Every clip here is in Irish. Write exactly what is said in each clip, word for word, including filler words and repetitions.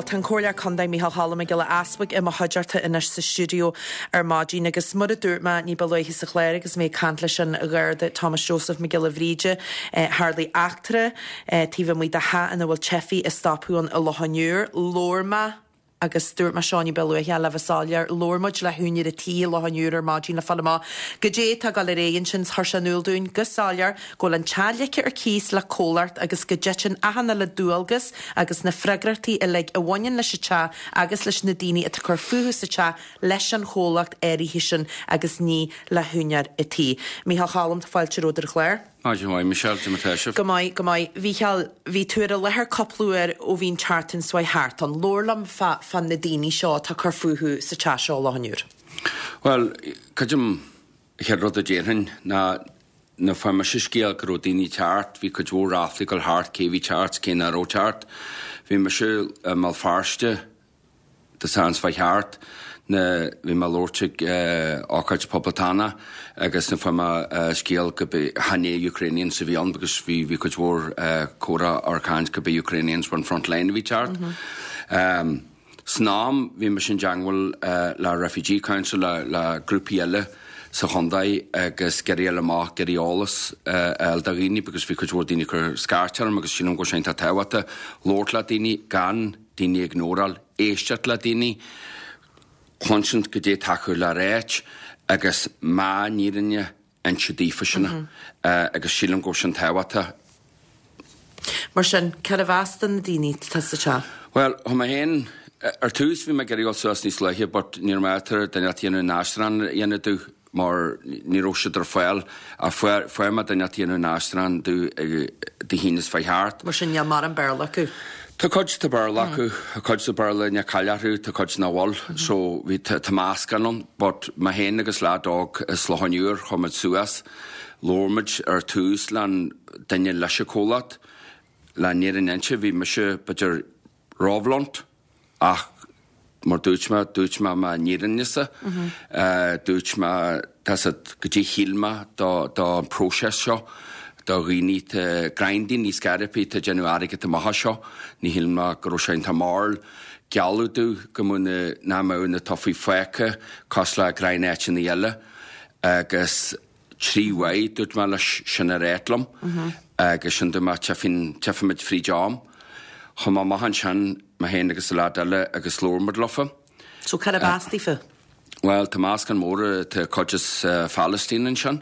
Tá an Comhairleoir Contae Micheál Choilm Mac Giolla Easbuig i mo chuideachta anois sa stiúideo ar maidin agus mar a dúirt mé ní ba luaithe sa chlár agus mé ag caint leis an Gharda Thomas Joseph Mac Giolla Bhríde eh, tharla eachtra eh, taobh amuigh de theach ina bhfuil teifigh ag stopadh ann i Loch an Iúir, labhair mé agus dúirt mé seo ní ba luaithe le bheith soiléir labhair muid le húinéir an tí i Loch an Iúir ar maidin le fáil amach goidé atá ag dul ar aghaidh ansin chuir sé in iúl dúinn go soiléir go bhfuil an teach ligthe ar cíos le comhlacht agus go dtiteann achan uile dualgas agus na freagrachtaí uilig a bhaineann leis an teach agus leis na daoine atá ag cur fúthu sa teach leis an chomhlacht áirithe sin agus ní le húinéir an tí. Micheál Choilm fáilte romhat ar an chlár. Maidin mhaith Michelle de matéisih. Go maith go maith Mhichíl bhí tú ar an láthair cúpla uair ó bhí an tseachtain seo thart an labhair liom fá fá na daoine seo atá cur fúthu sa teach seo Loch an Iúir. Well, creidim chéad rud a déarfainn ná na fuair mise scéal go raibh daoine teacht, bhí cuid mhór ráflaí ag dul thart cé bhí teacht cé nach raibh teacht. Bhí mise i mBéal Feirste Dé Sathairn seo thart na bhí mé labhairt ag ócáid poblachtánach agus na fuair mé scéal go chan é Ukrainians a bhí ann agus bhí bhí cuid mhór comhrá ar caint go be Ukrainians on front line a bhí teacht. Mm -hmm. um, San am bhí mise i dteagmháil uh, le Refugee Council le, le grúpaí eile sa chontae agus ag iarraidh amach ag iarraidh eolas uh, do dhaoine because bhí cuid mhór daoine cur scairt orm agus sílim go sé tá tábhachtach labhairt le daoine gan daoine ignóráil éisteacht le daoine cluinsint goidé atá acu le ráit agus má nírinne inse daofa sin mm -hmm. uh, agus sílim go sin tábhachtach. Mar sin cad a mheas na daoine atá sa teach? Well tá mé féin ar tús bhí mé ag iarraidh suas níos luaithe, but ní maidir duine dhéanamh aistriúchán a dhéanamh domh mar ní raibh siad ar fáil a fuair mé duine dhéanamh aistriúchán domh Dé hAoine seo thart. Mar sin níl mórán Béarla acu. Tá cuid de Béarla acu a cuid de Béarla ne caiilearú tá cuid nach bhfuil, so bhí tá meascán ann, but mé féin agus leaid óg as Loch an Iúir chuaigh muid suas, labhair muid ar tús le duine leis an comhlacht le níor an inse bhí mise b'fhéidir róbhlunt ach mar dúirt mé dúirt mé mo fhírinne-sa dúirt mé tá goidé shíl mé do do an próiseas seo do dhaoine te grinding níos garipí te déanamh airgead amach seo ní shíl mé go raibh sé an tamall gealladh domh go mbeadh na ná mbeadh na teifigh fágtha cosúil le gnátáiteanna eile agus trí uair dúirt mé leis sin a rá liom agus sin dúirt mé tchífimid fríd am. Chuaigh mé amach ansin mé féin agus leaid eile agus labhair muid leofa. So cad a b'as daofa? Well tá meascán mór tá cuid as uh, Palestine ansin.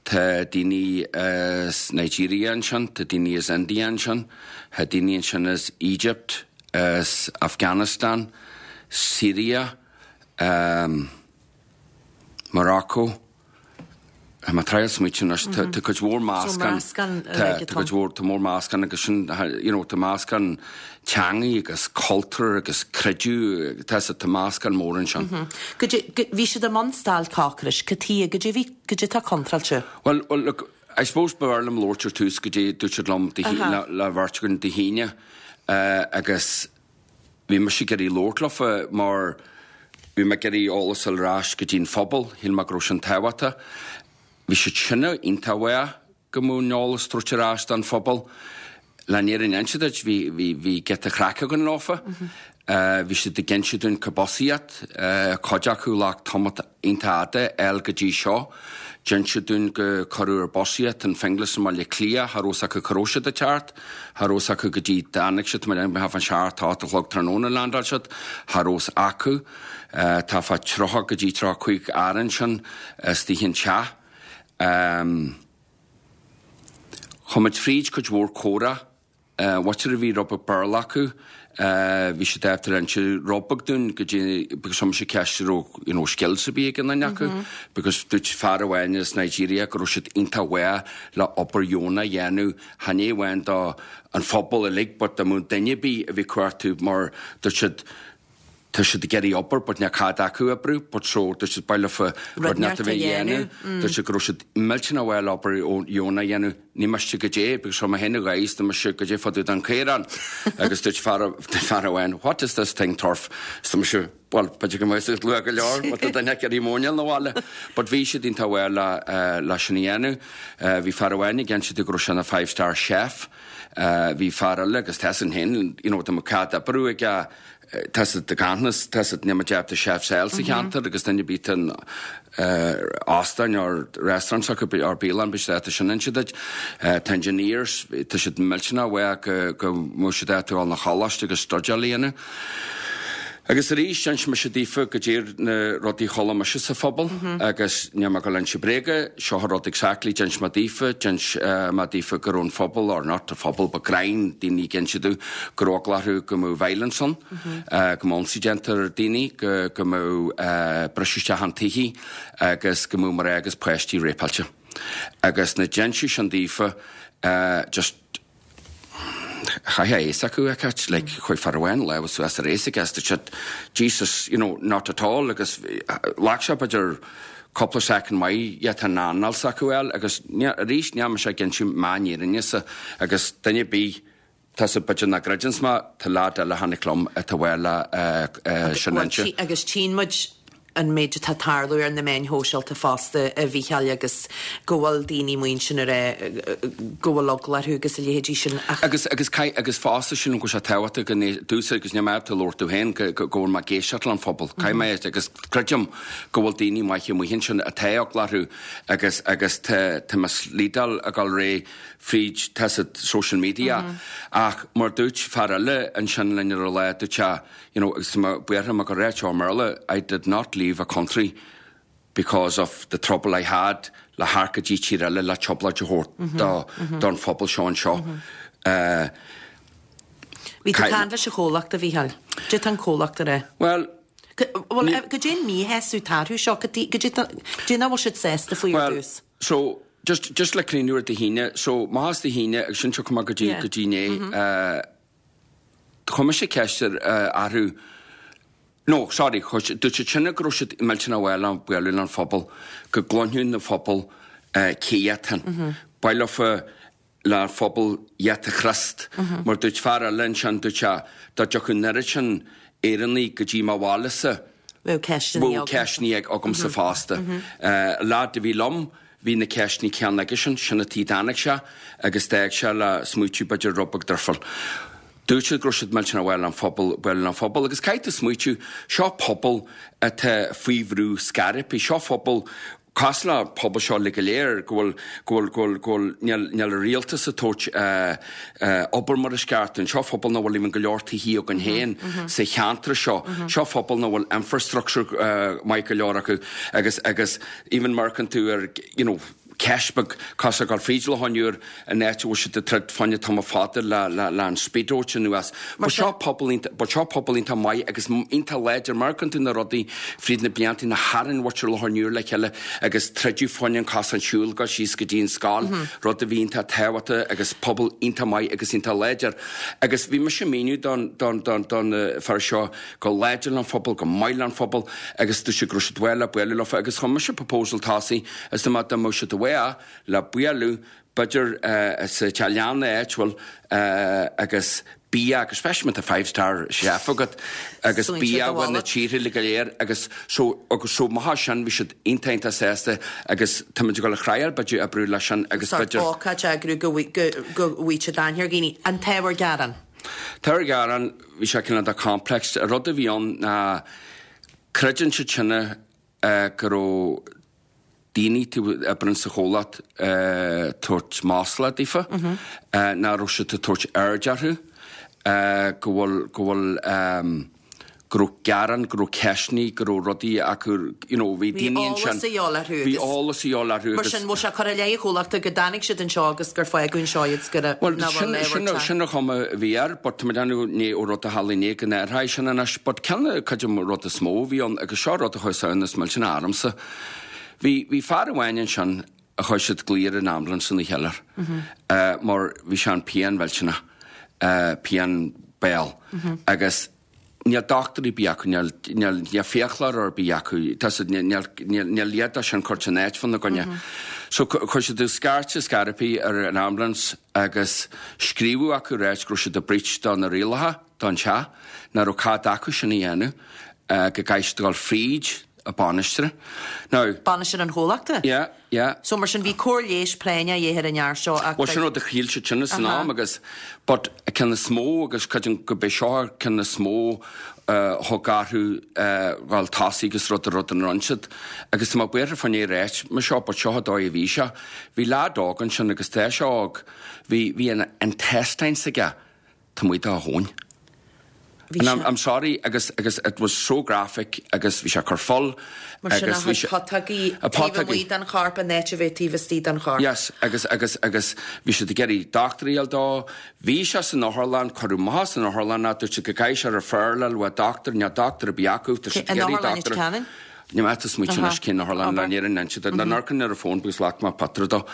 Tá daoine as Nigeria ansin, tá daoine as India ansin, tá daoine ansin as Egypt, as Afghanistan, Syria, um, Morocco, Má trail smuit tá cuid mhór meascán tá cuid mhór tá mór meascán agus sin you know, tá meascán teangaí agus cultúr agus creideamh tá sa tá meascán mór ansin. Bhí siad i mbun stailc ocrais, cad go dtí goidé tá contráilte? Well, well look, I suppose b'fhearr liom labhairt ar tús goidé dúirt siad liom le, le bheirt againn Dé hAoine uh, agus bhí mise ag iarraidh labhairt leofa mar bhí mé ag iarraidh eolas ar ais go dtí'n phobal, shíl mé go raibh sin tábhachtach. Bhí siad sinne iontaha go mú eolas trúir ais don phobal. Le níor an inse bhí bhí bhí giota craic againn leofa. Bhí siad ag inse dúinn cad b'as iad, cuid acu le tamall iontach fada eil go dtí seo. D'inis dúinn go cuireadh ar bus iad an Finglas i mBaile Cliath, cha raibh acu cá raibh siad ag teacht, cha raibh acu go dtí dtáinig siad mar an seacht a chlog tráthnóna landáil siad, cha raibh acu tá fá tríocha go dtí tríocha cúig fhear ansin istigh an teach. Um, Chuaigh muid fríd cuid mhór comhrá, Bhaitir a bhí rud beag Béarla acu, bhí siad ábalta inse rud beag dúinn go dtí because chuir mise ceist raibh you know, skills a bhí ag an duine acu, because dúirt fear amháin as Nigeria go raibh siad iontach mhaith le obair dheonach a dhéanamh chan é amháin do an phobal uilig, but dá mbeadh duine ar bith a bhí cuartú mar dúirt siad tá siad ag iarraidh obair, but níl cead acu oibriú, but so dúirt siad baile fa rud net a bheith dhéanamh, dúirt siad go raibh siad millteanach mhaith le obair dheonach a dhéanamh Ní miste goidé, because seo mé féin a ghaois, tá mise goidé fá dtaobh den caorán. Agus dúirt fear fear amháin, what is this thing turf? Is tá mise, well, b'fhéidir go mbeidh siad luath go leor, but tá duine ag iarraidh móinéal na bhaile. But bhí siad iontach mhaith le eh, le sin a dhéanamh. Eh, bhí fear amháin ag insint go raibh sé ina five star chef. Eh, bhí fear eile agus tá sin féin, you know, tá mo cead oibriú aige tá siad de gannas, tá siad ní deapta chef sale sa cheantar agus duine bít an óstán or restaurant acu ar bialann be sé sin inse duit. Tá engineers, tá siad millteanach bheith go go mbeadh siad ábalta dul na choláiste agus stuidéal a dhéanamh. Agus arís d'inis mise daofa goidé na rudaí a chuala mise sa phobal agus níl mé ag dul inse bréaga, seo an rud exactly d'inis mé daofa, d'inis mé daofa go raibh an phobal or not an phobal but greim daoine ag inse domh go raibh eagla orthu go mbeadh violence ann, go mbeadh ionsaí déanta ar daoine, go go mbeadh briseadh isteach an tithe agus go mbeadh mná agus páistí rapáilte. Agus na d'inseadh sin daofa just chaithfeá fhios acu a Cait, like chuaigh fear amháin lámh suas ar aos agus dúirt siad Jesus, you know, not at all agus ghlac sé b'fhéidir cúpla second maith iad an anáil s'acu fháil agus arís níl mise ag inse m'fhírinne sa agus duine ar bith tá sa b'fhéidir nach gcreideanns mé tá leaid eile a tháinig liom atá bhfuil le sin inse. Agus tchíonn muid an méid atá tarlú ar na meáin shóisialta fosta a Mhícheáil agus go bhfuil daoine muinsin ar go bhfuil eagla orthu agus a leithéidí sin ach Agus agus agus fosta sin go sé tábhachtach go dúsa agus ní mé tú labhairt tú féin go go bhfuil mé ag éisteacht le an phobal. Caithfidh mé agus creidim go bhfuil daoine maithe amuigh ansin atá eagla orthu agus agus tá tá misleading ag dul ré fríd tá siad social media ach mar dúirt fear eile ansin linn ar a lá dúirt sé you know agus má buartha mar go réit seo Merla I did not leave a country because of the trouble I had le theacht go dtí tír eile le trioblóid a thabhairt do don phobal seo anseo. Uh, Bhí tú caint leis an chomhlacht a Mhícheáil. Dé tá an comhlacht ar é. well, Well, goidé an míshásamh tarthú seo go dé nach bhfuil siad sásta faoi Well, dtús. so just just le críú ar de híine, so má de híine agus sin seo cuma go dtí Yeah. go dtí né, chuir mise ceist orthu No, sorry, dúirt siad sinne go raibh siad millteanach bhfuil an bualadh an phobal, go gcluinfeadh na phobal cé hiad. Bailofar le phobal iad a Chríost, mar dúirt fear eile ansin dúirt sé dá dtiocfadh an oiread sin Éireannaigh go dtí mo bhaile-sa, Bheadh ceisteanna Bheadh ceisteanna agamsa fosta. Leaid a bhí liom, bhí na ceisteanna céanna aige sin, sin an tuige a dtáinig sé agus d'fhág sé le smaoitiú b'fhéidir rud beag difriúil. Dúirt siad go raibh siad millteanach bhfuil an phobal bhfuil an phobal agus caithfidh tú smaoitiú seo pobal atá faoi bhrú scaipthe, seo phobal cosúil le pobal seo le go léir go bhfuil go bhfuil go bhfuil go bhfuil níl níl an rialtas ag tabhairt obair mar is ceart an seo phobal nach bhfuil even go leor tithe againn féin sa cheantar seo seo phobal nach bhfuil infrastructure maith go leor acu agus agus even marcan tú ar you know, ceist beag cosúil gur fríd le honúr an áit a bhfuil siad ag troid fá choinne tamall fada le le le an speedboat anuas. Ba seo pobal ba seo pobal iontach maith agus iontach láidir mar tú na rudaí fríd na blianta na tharraing muintir Loch an Iúir le chéile agus troideadh fá choinne an cosán siúil go síos go dtí an scoil rud a bhí iontach tábhachtach agus pobal iontach maith agus iontach láidir. Agus bhí mise míniú don don don don fear seo go láidir an phobal go maith an phobal agus dúirt sé go raibh siad bhfuil le bualadh leofa agus chuir mise proposal tosaigh is má dá mbeadh siad le bualadh b'fhéidir sa teach áitiúil agus bia agus especially a five star chef agat agus bia na tíortha le go léir agus so agus so maith sin bhí siad iontach iontach sásta agus tá muid ag dul a thriáil b'fhéidir oibriú leis sin agus b'fhéidir ócáid eagrú go go bhfuil dainir gine an t-ábhar gearáin. T-ábhar gearáin bhí sé cineál de complex a rud a bhí ann ná creideann siad sinne go raibh daoine tú oibreann sa chomhlacht tabhairt masla daofa, nach raibh siad ag tabhairt aird orthu, go bhfuil go bhfuil go raibh gearán, go raibh ceisteanna, go raibh rudaí acu, you know, bhí daoine ansin. Bhí eolas a dhíobháil orthu. Bhí eolas a dhíobháil orthu. Mar sin, bhfuil sé curtha i leith an chomhlachta go dtáinig siad anseo agus gur fágadh anseo iad go Well, sin sin sin an chuma a bhí air, but tá mé déanamh ní ó rud a tharla inné go n-athróidh sin anois, but ceann cuid de rud is mó a bhí ann agus seo rud a chuir ann is millteanach ormsa. Bhí bhí fear amháin ansin a chuir siad glaoch ar an ambulance ina cheiliúr, mar bhí sé an pian mhillteanach, pian béil agus níl dochtúir ar bith acu, níl níl níl fiaclóir ar bith acu, tá siad níl níl níl iad sin curtha in áit fána gcoinne. So chuir siad scairteadh scairpí ar an ambulance agus scríobhadh acu ráit go raibh siad i breach do na rialacha don teach, nach raibh cead acu sin a dhéanamh, go gcaithfidh siad dul fríd a bainisteoir. Now. Bainisteoir an chomhlachta? Yeah, yeah. So mar sin bhí cóir leighis práinneach de dhíth ar an fhear seo ach. Bhuel sin rud a shíl siad sin san am agus but an ceann is mó agus creidim go b'é seo an ceann is mó a thug orthu dhul tosaigh agus rud a rud an rinne siad agus tá mé buartha fá choinne ráit mar seo but seo an dóigh a bhí sé. Bhí leaid óg ansin agus tá sé óg, bhí bhí an intestines aige taobh amuigh dá thóin. Bhí sé. I'm sorry agus agus it was so graphic agus bhí sé ag cur fuil Mar sin agus a bhí sé putógaí a taobh putógaí. amuigh den chorp in áit a bheith taobh istigh den chorp. Yes agus agus agus bhí siad ag iarraidh dochtúir a fháil dó. Bhí sé san otharlann, cuireadh amach as an otharlann é, dúirt siad go gcaithfidh sé referral a fháil uaidh dochtúir, níl dochtúir ar bith acu, tá siad ag An iarraidh otharlann i dochtúir. Ceanainn? Ní mé tá smaointe Aha. anois cén otharlann le Obair. níor inse siad. An amharcann ar an bhfón because ghlac mé pictiúr dó.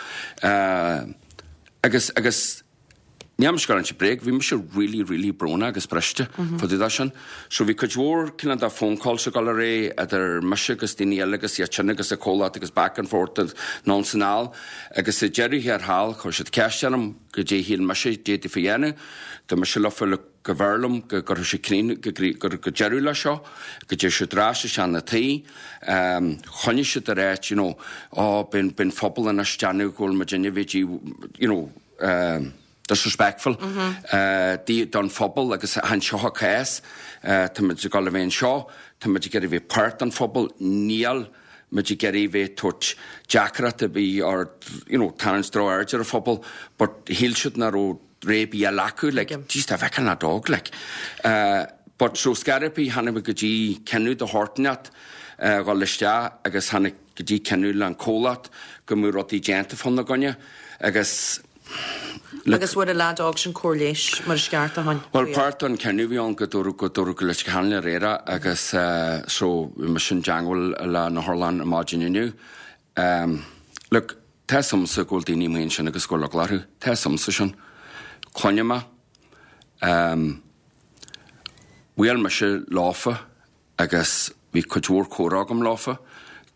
Agus agus Níl mise ag insint bréag, bhí mise really, really brónach agus briste fá dtaobh de sin. So bhí cuid mhór cineál de phone calls ag dul ar aghaidh idir mise agus daoine eile agus iad sin agus an comhlacht agus back and forth and anonn is anall. Agus sa deireadh thiar thall chuir siad ceist orm goidé shíl mise d'fhéadfaí a dhéanamh. Dúirt mise leofa look go mb'fhearr liom go gcuirfeadh siad crín go go go deireadh leis seo, go dtéadh siad ar ais isteach 'na tí. Choinnigh siad ar áit you know, oh bíonn bíonn phobal anois déanamh go bhfuil muid inne bhí you know, disrespectful don phobal agus chan seo an cás, táimid ag dul a bheith anseo, táimid ag iarraidh bheith páirt den phobal, níl muid ag iarraidh bheith tabhairt deacracht ar bith or you know tarraingt drochaird ar an phobal but shíl siad nach raibh rogha ar bith eile acu like jeez dá bhfeicfeá an leaid óg like. But so scairpí tháinig muid go dtí cinneadh de shórt inteacht dhul isteach agus tháinig go dtí cinneadh le an comhlacht go mbeadh rudaí déanta fána gcoinne agus le Agus bhfuair an leaid óg sin cóir leighis mar is ceart a tháin? Bhuel páirt den cinneadh a bhí ann go dúradh go dúradh go Leitir Ceanainn aréir agus so bhí mise i dteangmháil le an otharlann ar maidin inniu. Look, tá 'fhios a'msa go bhfuil daoine amuigh ansin agus go bhfuil eagla orthu. Tá 'fhios a'msa sin. Cluinim é. Bhuail mise leofa agus bhí cuid mhór comhrá agam leofa.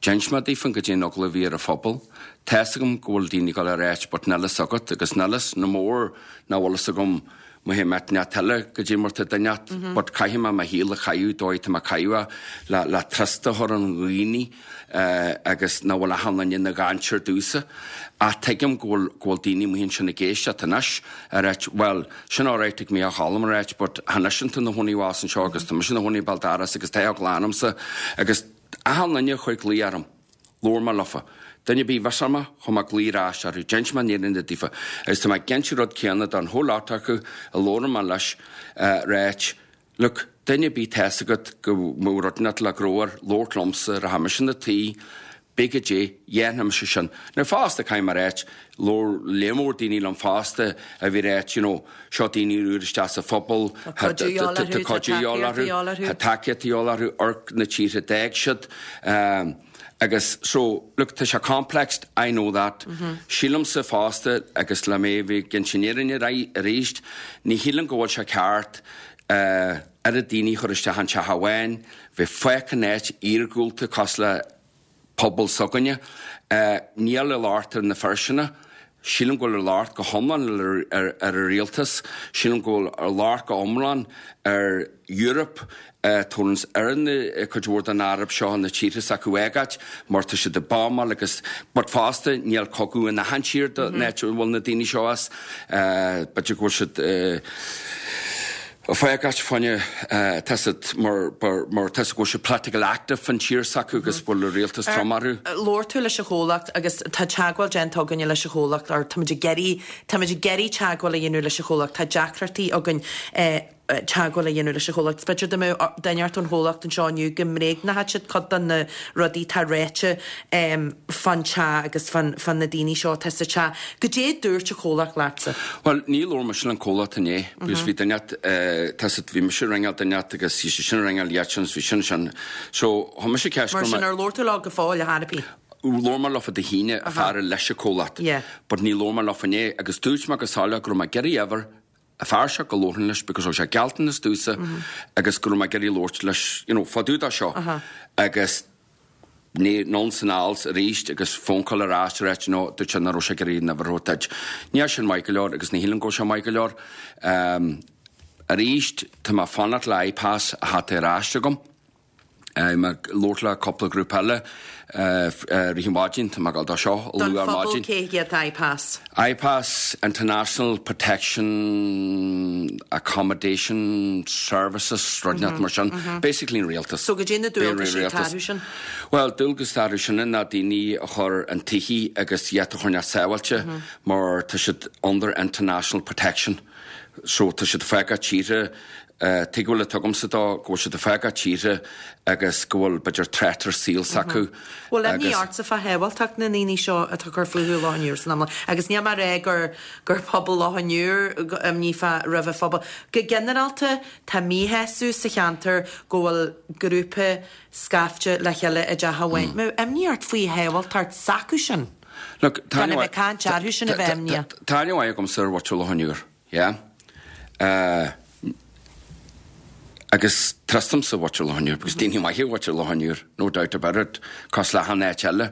D'inis mé daofa goidé an eagla a bhí ar an phobal. Tá's agam go bhfuil daoine ag dul ar áit but níl fhios agat agus níl fhios no mór ná bhfuil fhios agam má théim at neart eile goidé mar tá duine at but caithfidh mé mo shaol a chaitheamh dóigh tá mé ag caitheamh é le le trust a chur ar dhaoine agus ná bhfuil achan duine ina dhainséar domhsa. Ach tuigim go bhfuil go bhfuil daoine amuigh ansin ag éisteacht anois ag ráit bhuel sin alright ag Mícheál Choilm ag ráit but tá anois an na chónaí abhus anseo agus tá mise ina chónaí béal dorais agus tá eagla ormsa agus achan duine a chuir glaoch orm labhair mé leofa. Duine ar bith a bhris orm chuir mé glaoch ar ais orthu d'inis mé an fhírinne daofa agus tá mé ag inse an rud céanna don whole lot acu a labhair mé leis ráit look duine ar bith tá's agat go mbeadh rud inteacht le gnó air labhairt liomsa rachaidh mise ina tí pé goidé dhéanfaidh mise sin. Now fosta caithfidh mé a ráit labhair lear mór daoine liom fosta a bhí ráit you know seo daoine úr isteach sa phobal Tá cuidiú de dhíobháil orthu, tá cuidiú de dhíobháil orthu, tá tacaíocht de dhíobháil orthu, amharc na tíortha d'fhág siad agus so look tá sé complex I know that. Sílimse fosta agus le mé a bheith ag insint an fhírinne arís ní shílim go bhfuil sé ceart oiread daoine a chur isteach in teach amháin, bheith fágtha in áit iargúlta cosúil le pobal s'againne. Níl an locht ar na fir sin. Sílim go bhfuil an locht go hiomlán ar ar an rialtas. Sílim go bhfuil an locht go hiomlán ar Europe tabharanns ar na cuid mhór den Eoraip seo na tíortha s'acu a fhágáil mar tá siad ag buamáil agus but fosta níl cogadh in achan tír den áit a bhfuil na daoine seo as. B'fhéidir go bhfuil siad ag fágáil fá choinne tá siad mar mar tá go bhfuil siad political active an tír s'acu agus bhfuil an rialtas trom orthu. Labhair tú leis an chomhlacht agus tá teagmháil déanta againne leis an chomhlacht or táimid ag iarraidh táimid ag iarraidh teagmháil a dhéanamh leis an chomhlacht tá deacrachtaí againn teagmháil a dhéanamh leis an chomhlacht. B'fhéidir dá mbeadh duine ort ón chomhlacht anseo inniu go mbréagnódh siad cuid de na rudaí atá ráite fán teach agus fán fán na daoine seo atá sa teach. Goidé a dúirt an chomhlacht leatsa? Bhuel, ní labhair mise le an comhlacht inné because bhí duine tá siad bhí mise ag ringeáil duine agus bhí sé sin ag ringeáil iad sin bhí sin sin. So chuir mise ceist Mar sin ar labhair tú leo go fóill a thairpí? Labhair mé leofa Dé hAoine a fear leis an comhlacht. But ní labhair mé leofa inné agus dúirt mé go soiléir go raibh mé ag iarraidh uimhir a fear seo go labharfainn leis because thug sé gealltanas domhsa agus go raibh mé ag iarraidh labhairt leis you know fá dtaobh de seo agus Anonn 's anall arís agus phone call ar ais a ráit no dúirt sé nach raibh sé ag iarraidh an uimhir a thabhairt duit. Níl sin maith go leor agus ní shílim go bhfuil sé maith go leor. Um, arís tá mé fanacht le IPAS a theacht ar ais agam. Uh, mé labhairt le cúpla grúpa eile uh, uh, rith maidin tá mé ag dul dó seo Don luath ar phobal maidin. cé hiad IPAS. IPAS International Protection Accommodation Services rud mm -hmm, mar sin basically an rialtas. So go dté na dualgais Rialtas. tarú sin? Well dualgas tarú sin ná daoine a chur an tithe agus iad a chur sábháilte mar tá siad under international protection. So tá siad fágáil tíre uh, tuigbheáil tugamsa dó go bhfuil siad fágáil tíre agus go bhfuil b'fhéidir threat ar saol s'acu. Well imní Agus- ortsa fá shábháilteacht na ndaoine seo atá cur fúthu Loch an Iúir san amla. Agus ní mar é gur gur pobal Loch an Iúir imní fá roimh a phobal. Go ginearálta tá míshásamh sa cheantar go bhfuil grúpa scaifte le chéile i dteach amháin. Mm. Imní ort faoi shábháilteacht s'acu sin. Look, Gan a bheith caint orthu sin a bheith imníoch. Tá aithne agam ar mhuintir Loch an Iúir, yeah? Uh, agus trustamsa mhuintir Loch an Iúir, because daoine maithe mhuintir Loch an Iúir, no doubt about it, cos le han áit eile.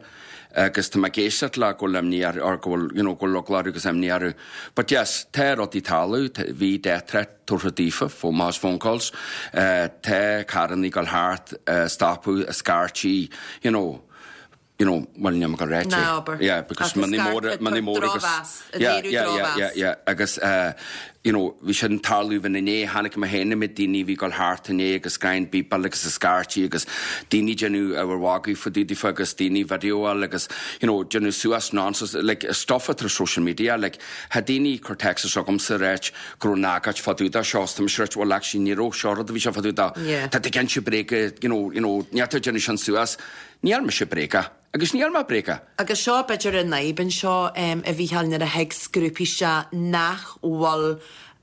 Agus tá mé ag éisteacht le go bhfuil imní ar or go bhfuil, you know, go bhfuil eagla orthu agus imní orthu. But yes, tá rudaí tarlú, bhí death threat tugtha daofa, phone mass phone calls, uh, tá carrannaí ag dul thart, uh, stopadh, scairtí, you know, you know, well, ní go réite. Ná abair. Yeah, because Ach money scar- mór money mór agus drochmheas, Yeah, léiriú yeah, yeah, drochmheas. yeah, yeah, agus uh, you know, bhí sin tarlú bhín inné tháinig me héana mit daoine bhí gal thart inné agus gain bípal agus a scairtí agus daoine déanamh a bhhagadh fa daoine agus daoine videoáil agus you know, déanamh suas nonsense like stuff ar social media like ha daoine cur text agamsa ráit go raibh nágait fadúda seo tá sé well actually ní raibh seo rud a bhí sé fadúda Yeah. Tá ag inse bréige you know, you know, ní déanamh sin suas níl mise bréagach agus níl mé bréagach. Agus seo b'fhéidir an fhadhb seo um, a Mhícheáil nuair a thig grúpaí se nach bhfuil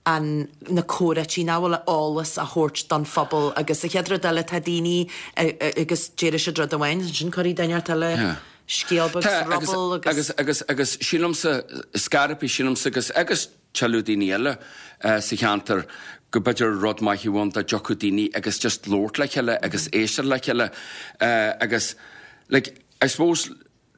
an na comhráití nach bhfuil eolas a thabhairt don phobal agus a chéad rud eile tá daoine agus deir siad rud amháin sin chuir duine eile Yeah. scéal beag Tá, agus, rubble agus, agus agus, agus sílimse scarpaí sílimse agus agus tuilleadh daoine eile uh, sa cheantar go b'fhéidir rud maith a bhain dá dtiocfadh daoine agus just labhairt le chéile agus éisteacht le chéile uh, agus like, I suppose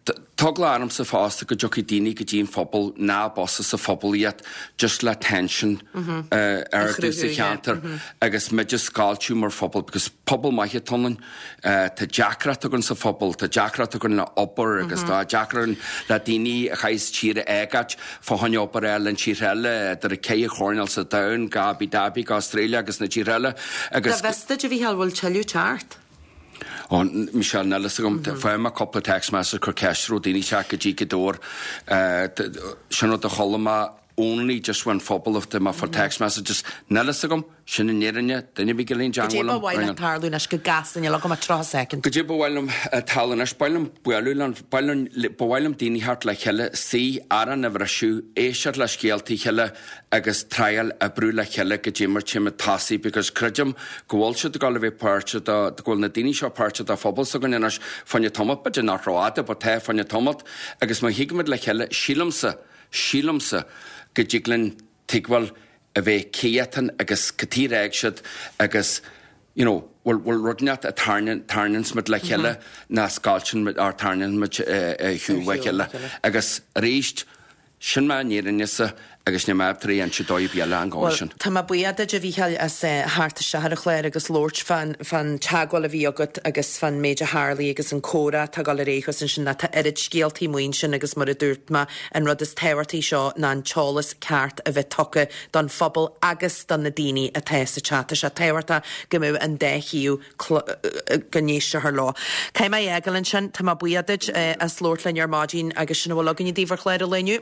tá eagla ormsa fosta go dtiocfaidh daoine go dtí an phobal ná bosa sa phobal iad just le tension uh, ar chruthú, sa yeah. cheantar agus muid a scoilteadh mar phobal because pobal maith atá ionainn uh, tá deacracht againn sa phobal tá deacracht againn le obair agus tá deacracht le daoine a chaithfeas tír a fhágáil fá choinne obair eile an tír eile idir a ceithre choirnéal sa domhan go Abu Dhabi go Australia agus na tír eile agus Tá vesta a Mhícheáil bhfuil tuilleadh teacht. Ó Michelle Nellis agam fuair mé cúpla text message cur ceist raibh daoine teacht go dtí go dór sin rud a chuala mé only just when phobal of the for text messages Nellis agam sin an fhírinne duine bí golín Go dé ba mhaith leat tarlú anois go gasta le go tríocha soicind. Go dé ba bhfuilm talannis bhilm buú bhilm daoine thart le chéile sí arán a bhreisiú éisteacht le scéaltaí chéile agus triail oibriú le chéile go dtí mar timime taí because creidim go bhfuil siad go bheith páirte go bhfuil na daoine seo páirte de phobal s'againn anois fá choinne tamall b'fhéidir nach rófhada ba tá fá choinne tamall agus má thigimid le chéile sílimsa sílimsa go dtig linn tuigbheáil a bheith céatan agus catíréig siad agus you know, bhfuil bhfuil rud a tarnansmid le chéile ná scoilteann ar tarnaimid hiú le chéile. Agus arís sin má nírinne agus ní mé trí an dóibh eile an gáin sin. Tá mé buíoch duit a Mhícheáil as theacht isteach ar an chlár agus labhairt fan fan teagmháil a bhí agat agus fan méid a tharla agus an comhrá tá gal réchas an sin tá oiread scéaltaí muin sin agus mar a dúirt mé an rud is tábhachtaí seo ná an t-eolas ceart a bheith tugtha don phobal agus don na daoine atá sa teach sé tábhachtach go mbeadh an dá thaobh go n-éistear leo. Cé mé eagal sin tá mé buíoch duit as labhairt linn ar maidin agus sin bhfuil againn daoibh ar chlár inniu.